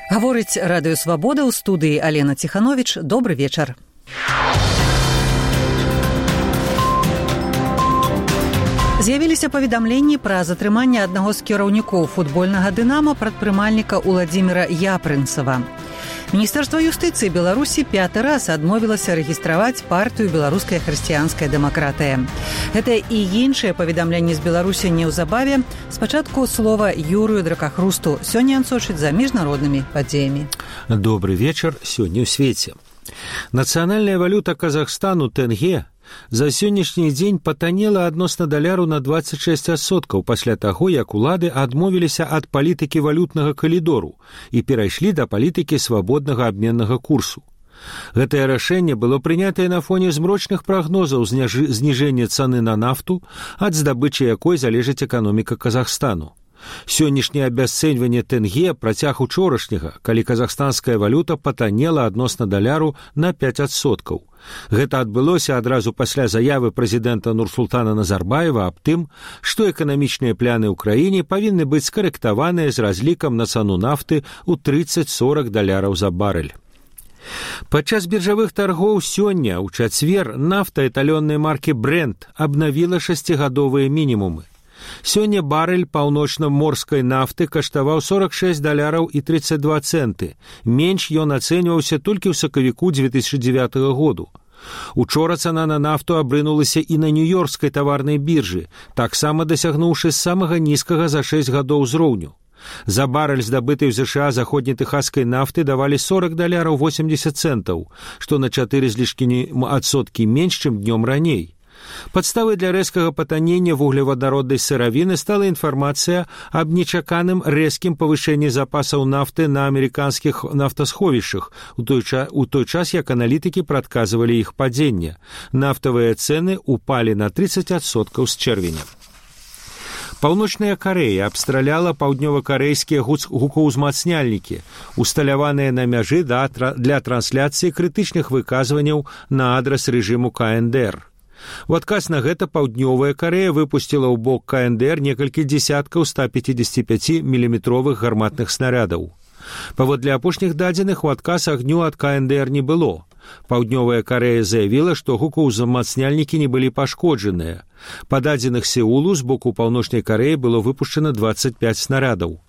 Гаворыць Радыё Свабода, ў студыі Алена Ціхановіч. Добры вечар. З'явіліся паведамленні пра затрыманне аднаго з кіраўнікоў футбольнага «Дынама» прадпрымальніка Уладзіміра Япрынцава. Міністэрства юстыцыі Беларусі 5 раз адмовілася рэгістраваць партыю «Беларуская хрысціянская дэмакратыя». Гэта і іншыя паведамленні з Беларусі неўзабаве. Спачатку слова Юрыю Дракахрусту. Сёння ён сочыць за міжнароднымі падзеямі. Добрый вечар. Сёння ў свеце. Нацыянальная валюта Казахстану тенге за сённяшні дзень патанела адносна даляру на 26% пасля таго, як улады адмовіліся ад палітыкі валютнага калідору і перайшлі да палітыкі свабоднага абменнага курсу. Гэтае рашэнне было прынятае на фоне змрочных прагнозаў зніжэння цаны на нафту, ад здабычы якой залежыць эканоміка Казахстану. Сённяшняе абясцэньванне тенге працяг учорашняга, калі казахстанская валюта патанела адносна даляру на 5%. Гэта адбылося адразу пасля заявы прэзідэнта Нурсултана Назарбаева аб тым, што эканамічныя пляны ў краіне павінны быць скарэктаваныя з разлікам на цану нафты ў 30-40 даляраў за барэль. Падчас біржавых таргоў сёння, ў чацвер, нафта эталённай маркі Brent абнавіла 6-гадовыя мінімумы. Сёння барэль паўночна-морскай нафты каштаваў 46 даляраў і 32 цэнты. Менш ён ацэньваўся толькі ў сакавіку 2009 году. Учора цана на нафту абрынулася і на нью-йоркскай таварнай біржы, таксама дасягнуўшы самага нізкага за 6 гадоў узроўню. За барэль, здабытай у ЗША заходнетэхасскай нафты, давалі 40 даляраў 80 цэнтаў, што на 4 з лішкамі адсоткі менш, чым днём раней. Падставай для рэзкага патанення вуглевадароднай сыравіны стала інфармацыя аб нечаканым рэзкім павышэнні запасаў нафты на амерыканскіх нафтасховішчах, у той час, як аналітыкі прадказвалі іх падзенне. Нафтавыя цэны упалі на 30% з чэрвеня. Паўночная Карэя абстраляла паўднёва-карэйскія гукаўзмацняльнікі, усталяваныя на мяжы для трансляцыі крытычных выказванняў на адрас рэжыму КНДР. У адказ на гэта паўднёвая Карэя выпусціла ў бок КНДР некалькі дзесяткаў 155-міліметровых гарматных снарядаў. Паводле апошніх дадзеных, у адказ агню ад КНДР не было. Паўднёвая Карэя заявіла, што гукаўзмацняльнікі не былі пашкоджаныя. Па дадзеных Сеулу з боку паўночнай Карэі было выпушчана 25 снарадаў.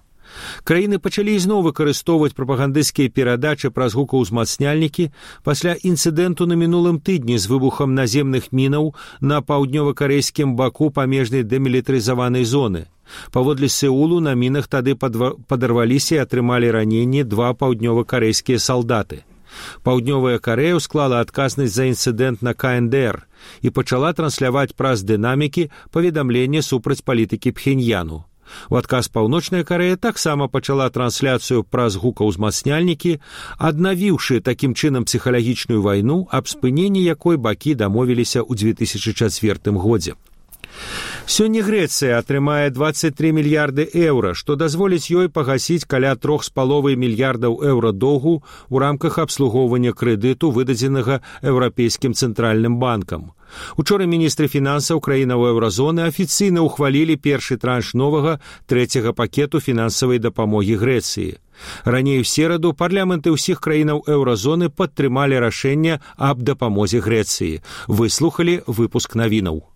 Краіны пачалі ізноў выкарыстоўваць прапагандысцкія перадачы праз гукаўзмацняльнікі пасля інцыдэнту на мінулым тыдні з выбухам наземных мінаў на паўднёва-карэйскім баку памежнай дэмілітарызаванай зоны. Паводле Сеулу на мінах тады падарваліся і атрымалі раненні 2 паўднёва-карэйскія салдаты. Паўднёвая Карэя склала адказнасць за інцыдэнт на КНДР і пачала трансляваць праз дынамікі паведамленне супраць палітыкі Пхеньяну. У адказ паўночная Карэя таксама пачала трансляцыю праз гукаўзмацняльнікі, аднавіўшы такім чынам псіхалагічную вайну, аб спыненні якой бакі дамовіліся ў 2004 годзе. Сёння Грэцыя атрымае 23 мільярды еўра, што дазволіць ёй пагасіць каля 3,5 мільярдаў еўра доўгу ў рамках абслугоўвання крэдыту, выдадзенага Еўрапейскім цэнтральным банкам. Учора міністры фінансаў краінаў еўразоны афіцыйна ўхвалілі першы транш новага 3-го пакету фінансавай дапамогі Грэцыі. Раней у сераду парламенты ўсіх краінаў еўразоны падтрымалі рашэнне аб дапамозе Грэцыі. Выслухалі выпуск навінаў.